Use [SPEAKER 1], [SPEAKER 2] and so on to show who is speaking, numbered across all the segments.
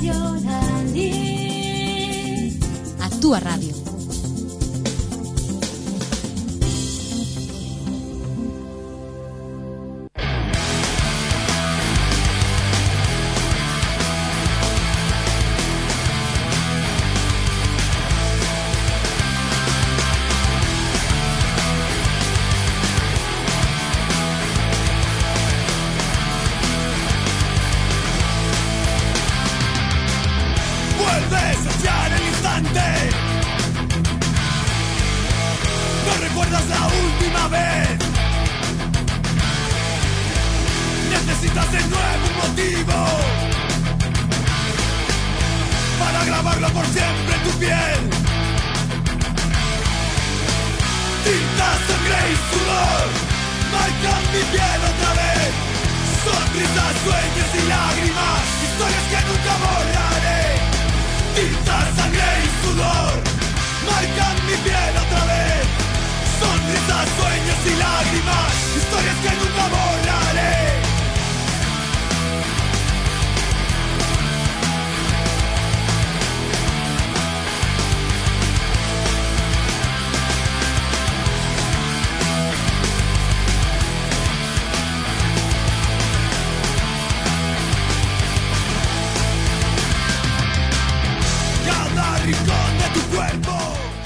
[SPEAKER 1] Radio Lalín.
[SPEAKER 2] A túa radio.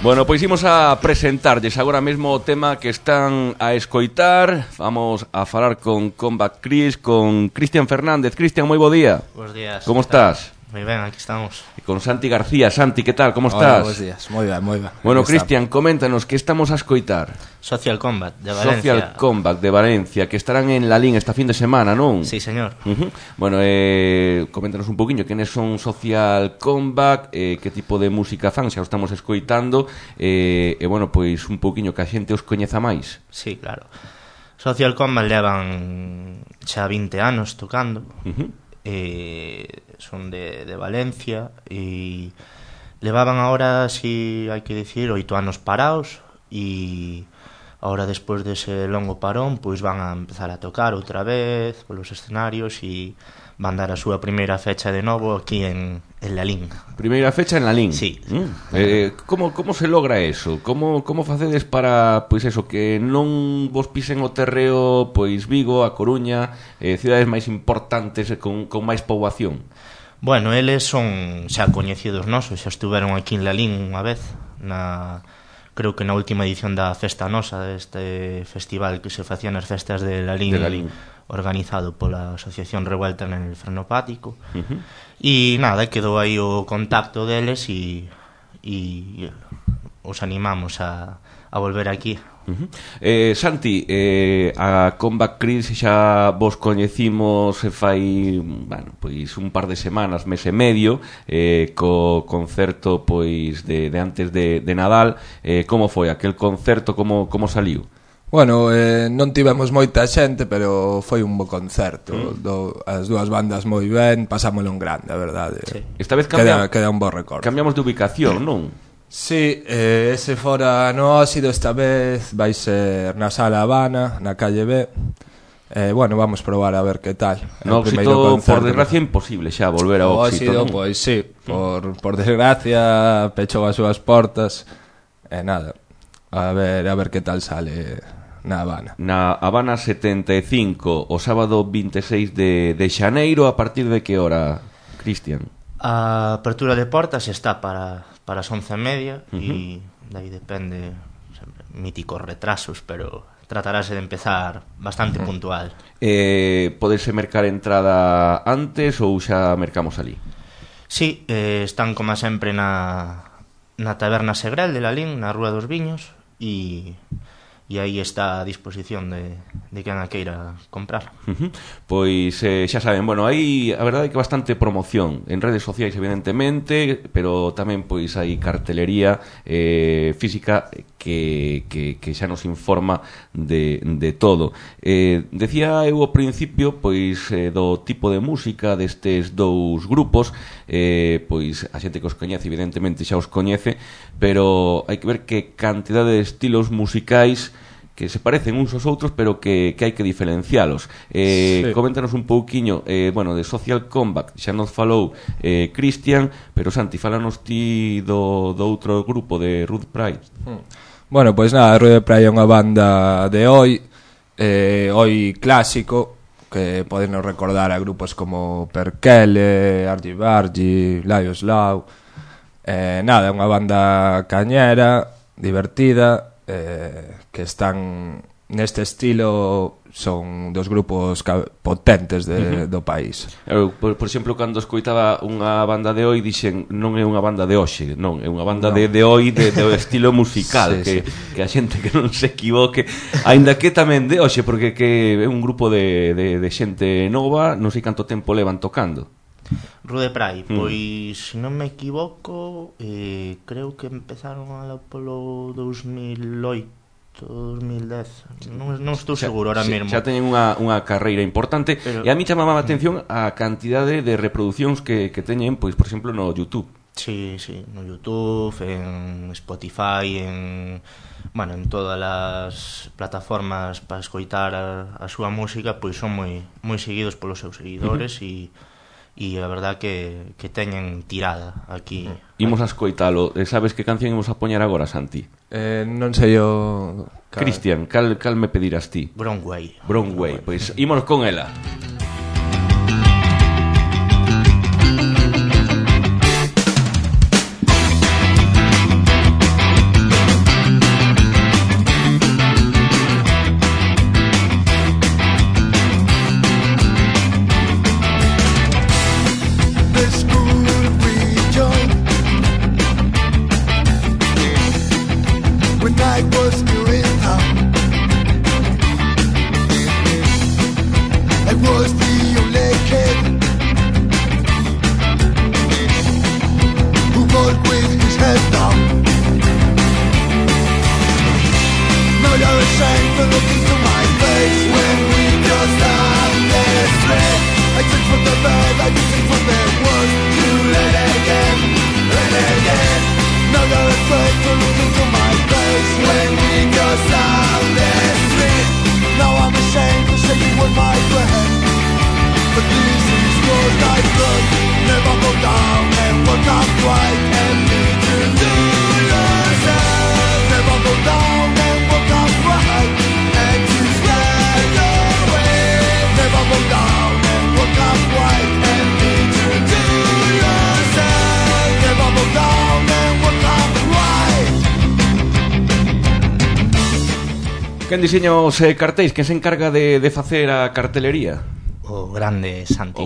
[SPEAKER 3] Bueno, pois imos a presentarlles agora mesmo o tema que están a escoitar. Vamos a falar con Combat Chris, con Cristian Fernández. Cristian, moi bo día.
[SPEAKER 4] Bos días.
[SPEAKER 3] Como estás?
[SPEAKER 4] Moi ben, aquí estamos.
[SPEAKER 3] E con Santi García. Santi, que tal? Como estás?
[SPEAKER 5] Hola, bos días. Moi ben, moi ben.
[SPEAKER 3] Bueno, Cristian, coméntanos, que estamos a escoitar?
[SPEAKER 4] Social Combat de Valencia.
[SPEAKER 3] Social Combat de Valencia, que estarán en Lalín esta fin de semana, non?
[SPEAKER 4] Sí, señor.
[SPEAKER 3] Bueno, coméntanos un poquinho quenes son Social Combat, que tipo de música fan, xa o estamos escoitando, e bueno, pois un poquinho que a xente os coñeza máis.
[SPEAKER 4] Sí, claro. Social Combat levan xa 20 anos tocando. Son de Valencia e levaban ahora, si hai que dicir, 8 anos parados, e ahora despois dese longo parón pois van a empezar a tocar outra vez polos escenarios e van dar a súa primeira fecha de novo aquí en Lalín.
[SPEAKER 3] Primeira fecha en Lalín?
[SPEAKER 4] Sí.
[SPEAKER 3] Como se logra eso? Como facedes para, pois eso, que non vos pisen o terreo, pois Vigo, A Coruña, cidades máis importantes con máis poboación?
[SPEAKER 4] Bueno, eles son xa coñecidos nosos, xa estuveron aquí en Lalín unha vez, creo que na última edición da Festa Nosa, deste festival que se facía nas festas de Lalín. Organizado pola Asociación Revuelta en el Frenopático. E nada, quedou aí o contacto deles e os animamos a volver aquí.
[SPEAKER 3] Santi, a Combat Chris xa vos coñecimos fai, bueno, pois un par de semanas, mes e medio, co concerto pois de antes de Nadal. Como foi aquel concerto, como saliu?
[SPEAKER 5] Bueno, non tivemos moita xente, pero foi un bo concerto. As dúas bandas moi ben, pasámoslo en grande, a verdade.
[SPEAKER 4] Sí.
[SPEAKER 3] Esta vez
[SPEAKER 5] queda un bo recordo.
[SPEAKER 3] Cambiamos de ubicación, non?
[SPEAKER 5] Sí, ese fora no Óxido, esta vez vai ser na Sala Habana, na calle B. Bueno, vamos probar a ver que tal.
[SPEAKER 3] No Óxido, por desgracia, imposible xa volver ao Óxido, non?
[SPEAKER 5] Pois sí, por desgracia pechou as súas portas. Nada, a ver que tal sale na Habana.
[SPEAKER 3] Na Habana 75, o sábado 26 de xaneiro. A partir de que hora, Cristian?
[SPEAKER 4] A apertura de portas está para as 11:30 e dai depende, sempre, míticos retrasos, pero tratarase de empezar bastante puntual.
[SPEAKER 3] Podese mercar entrada antes ou xa mercamos ali?
[SPEAKER 4] Sí, están como sempre na Taberna Segrel de Lalín, na Rúa dos Viños, e aí está a disposición de quen a queira comprar.
[SPEAKER 3] Pois xa saben, bueno, hai a verdade que bastante promoción en redes sociais, evidentemente, pero tamén pois hai cartelería física que xa nos informa de todo. Decía eu ao principio pois do tipo de música destes dous grupos, pois a xente que os coñece evidentemente xa os coñece, pero hai que ver que cantidade de estilos musicais se parecen uns aos outros, pero que hai que diferencialos. Coméntanos un pouquiño, bueno, de Social Combat, xa nos falou Cristian, pero Santi, fálanos ti do outro grupo de Rude Pride.
[SPEAKER 5] Bueno, pois nada, Rude Pride é unha banda de hoy clásico, que podenos recordar a grupos como Perkele, Argy Bargy, Laios Lau. Nada, é unha banda cañera, divertida, que están neste estilo, son dos grupos potentes do país.
[SPEAKER 3] Eu, por exemplo, cando escoitaba unha banda de hoy, dixen, non é unha banda de hoxe, non, é unha banda de hoy, do estilo musical, sí, que a xente que non se equivoque, aínda que tamén de hoxe, porque que é un grupo de xente nova, non sei canto tempo levan tocando.
[SPEAKER 4] Rude Pride, pois, se non me equivoco, creo que empezaron polo 2008, 2010, non estou seguro ahora mesmo.
[SPEAKER 3] Xa teñen unha carreira importante, pero... e a mí chamaba a atención a cantidade de reproducións que teñen, pois, por exemplo, no YouTube.
[SPEAKER 4] Sí, no YouTube, en Spotify, en todas as plataformas para escoitar a súa música, pois son moi seguidos polos seus seguidores e a verdad que teñen tirada aquí.
[SPEAKER 3] Imos a escoitalo. Sabes que canción imos a poñer agora, Santi?
[SPEAKER 5] Non sei o...
[SPEAKER 3] Cristian, cal me pedirás ti?
[SPEAKER 4] Broadway.
[SPEAKER 3] Pois ímonos con ela. Quen diseña os cartéis? Quen se encarga de facer a cartelería?
[SPEAKER 4] O grande Santi.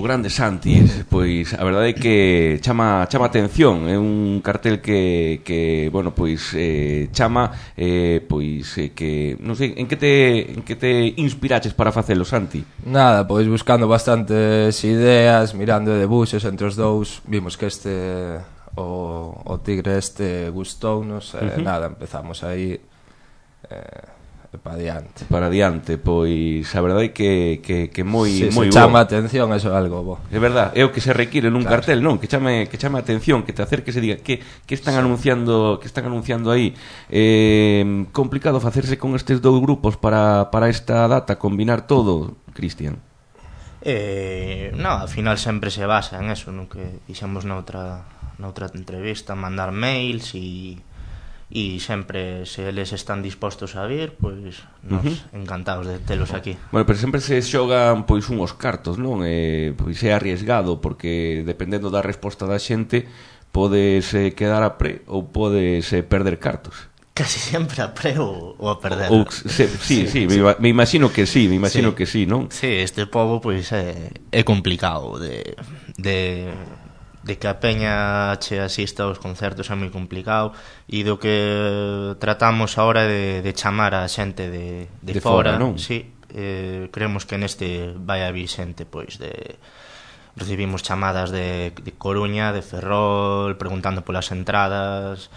[SPEAKER 3] Pois a verdade é que chama atención. É un cartel que bueno, pois chama pois que non sei, en que te inspiraches para facelo, Santi?
[SPEAKER 5] Nada, pois buscando bastantes ideas, mirando de buses entre os dous, vimos que o tigre gustounos, nada, empezamos aí para diante, pois a verdade é que moi moi bo. Chama a atención, eso é algo bo.
[SPEAKER 3] É verdade, é o que se require nun cartel, non? Que chame a atención, que te acerques e diga que están anunciando aí. Complicado facerse con estes dous grupos para esta data, combinar todo, Cristian.
[SPEAKER 4] Ao final sempre se basa en eso, no que dixemos noutra entrevista, mandar mails e sempre, se eles están dispostos a vir, pois nos encantados de telos aquí.
[SPEAKER 3] Bueno, pero sempre se xogan pois unhos cartos, non? Pois é arriesgado, porque dependendo da resposta da xente podes quedar a pre ou podes perder cartos.
[SPEAKER 4] Casi sempre a pre ou a perder.
[SPEAKER 3] Sí, me imagino que sí, non?
[SPEAKER 4] Sí, este pobo pois é complicado de que a peña che asista aos concertos é moi complicado, e do que tratamos agora de chamar a xente de fora, non? Sí, creemos que neste vai a vir xente, pois recibimos chamadas de Coruña, de Ferrol, preguntando polas entradas,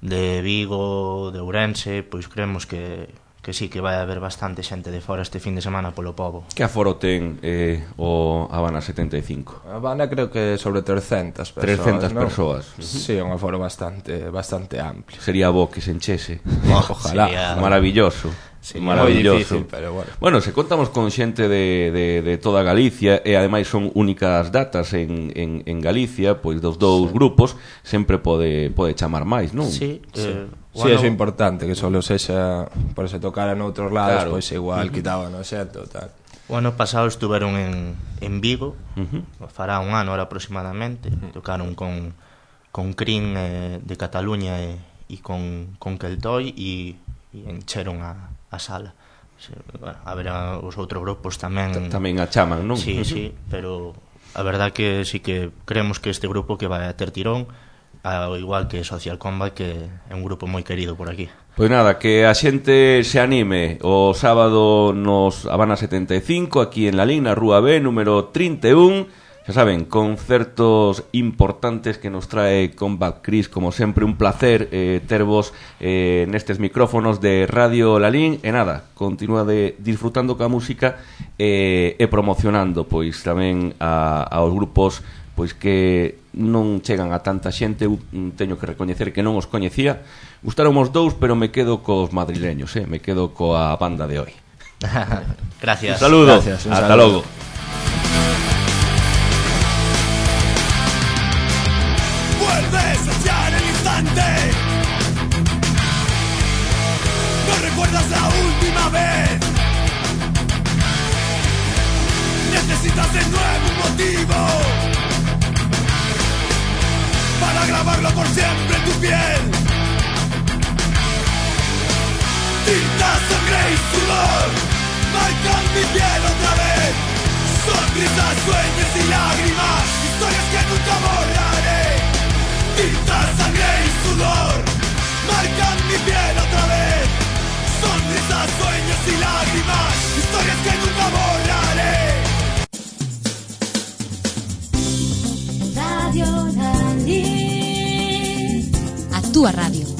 [SPEAKER 4] de Vigo, de Ourense, pois creemos que sí, que vai haber bastante xente de fora este fin de semana polo pobo.
[SPEAKER 3] Que aforo ten o Habana 75?
[SPEAKER 5] A Habana creo que sobre 300 persoas.
[SPEAKER 3] 300 persoas.
[SPEAKER 5] Sí, un aforo bastante amplio.
[SPEAKER 3] Sería bo que se enchese.
[SPEAKER 5] Ojalá.
[SPEAKER 3] Maravilloso.
[SPEAKER 5] Sí,
[SPEAKER 3] maravilloso.
[SPEAKER 5] Difícil, pero bueno.
[SPEAKER 3] Bueno, se contamos con xente de toda Galicia e ademais son únicas datas en Galicia, pois dos dous grupos sempre pode chamar máis, non?
[SPEAKER 4] Sí,
[SPEAKER 5] Sí, eso é importante, que solo sexa por se tocara noutros lados, pois igual quitaban o xeto tal.
[SPEAKER 4] O ano pasado estuveron en Vigo, fará un ano ahora aproximadamente, tocaron con Crin de Cataluña e con Keltoy e encheron a sala. Bueno, a ver, os outros grupos tamén
[SPEAKER 3] a chaman, non?
[SPEAKER 4] Sí, sí, pero a verdad que sí que creemos que este grupo que vai a ter tirón, ao igual que Social Combat, que é un grupo moi querido por aquí.
[SPEAKER 3] Pois nada, que a xente se anime o sábado nos Habana 75, aquí en Lalín, na Rúa B, número 31. Xa saben, concertos importantes que nos trae Combat Chris, como sempre un placer tervos nestes micrófonos de Radio Lalín. E nada, continúa disfrutando ca música e promocionando pois tamén aos grupos pois que non chegan a tanta xente. Eu teño que recoñecer que non os coñecía. Gustaron os dous, pero me quedo cos madrileños, me quedo coa banda de hoy.
[SPEAKER 4] Gracias.
[SPEAKER 3] Un saludo.
[SPEAKER 5] Gracias,
[SPEAKER 3] Hasta logo.
[SPEAKER 1] Vuelves a echar el instante. No recuerdas la última vez. Necesitas de nuevo un motivo para grabarlo por siempre en tu piel. Tinta, sangre y sudor marcan mi piel otra vez. Sonrisas, sueños y lágrimas, historias que nunca borraré. Tinta, sangre y sudor marcan mi piel otra vez. Sonrisas, sueños y lágrimas, historias que nunca borraré.
[SPEAKER 2] Radio Lalín, a túa radio.